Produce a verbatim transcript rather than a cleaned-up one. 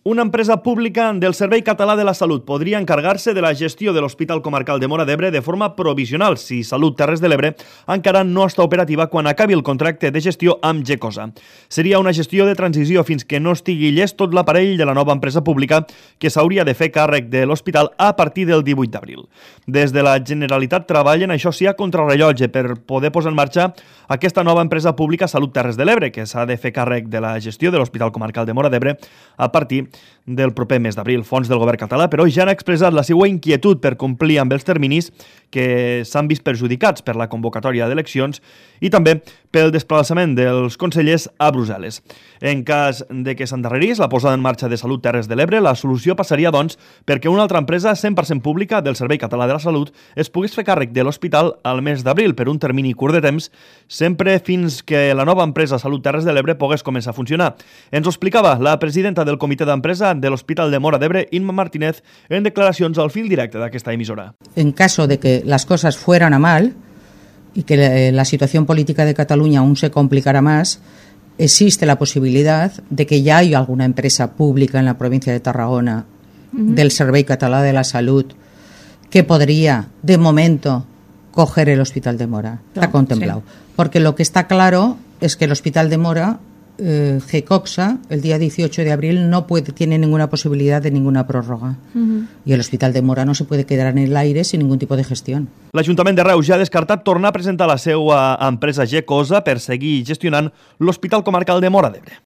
Una empresa pública del Servei Català de la Salut podria encargar-se de la gestió de l'Hospital Comarcal de Móra d'Ebre de forma provisional si Salut Terres de l'Ebre encara no està operativa quan acabi el contracte de gestió amb Gecosa. Seria una gestió de transició fins que no estigui llest tot l'aparell de la nova empresa pública que s'hauria de fer càrrec de l'hospital a partir del divuit d'abril. Des de la Generalitat treballen, això sí, a contrarrellotge per poder posar en marxa aquesta nova empresa pública Salut Terres de l'Ebre, que s'ha de fer càrrec de la gestió de l'Hospital Comarcal de Móra d'Ebre a partir del proper mes d'abril. Fons del govern català, però, ja han expressat la seva inquietud per complir amb els terminis que s'han vist perjudicats per la convocatòria d'eleccions i també pel desplaçament dels consellers a Brussel·les. En cas de que s'endarrerís la posada en marxa de Salut Terres de l'Ebre, la solució passaria, doncs, perquè una altra empresa cent per cent pública del Servei Català de la Salut es pogués fer càrrec de l'hospital al mes d'abril per un termini curt de temps, sempre fins que la nova empresa Salut Terres de l'Ebre pogués començar a funcionar. Ens ho explicava la presidenta del comitè d'empresa de l'Hospital de Móra d'Ebre, Inma Martínez, en declaracions al fil directe d'aquesta emissora. En caso de que las cosas fueran a mal y que la situación política de Cataluña aún se complicara más, existe la posibilidad de que ya haya alguna empresa pública en la provincia de Tarragona uh-huh. del Servei Català de la Salut que podría, de momento, coger el Hospital de Móra. Está contemplado. Sí. Porque lo que está claro es que el Hospital de Móra, eh, Gecosa, el día dieciocho de abril, no puede, tiene ninguna posibilidad de ninguna prórroga. Uh-huh. Y el Hospital de Móra no se puede quedar en el aire sin ningún tipo de gestión. L'Ajuntament de Reus ja ha descartat tornar a presentar la seva empresa Gecosa per seguir gestionant l'Hospital Comarcal de Móra d'Ebre.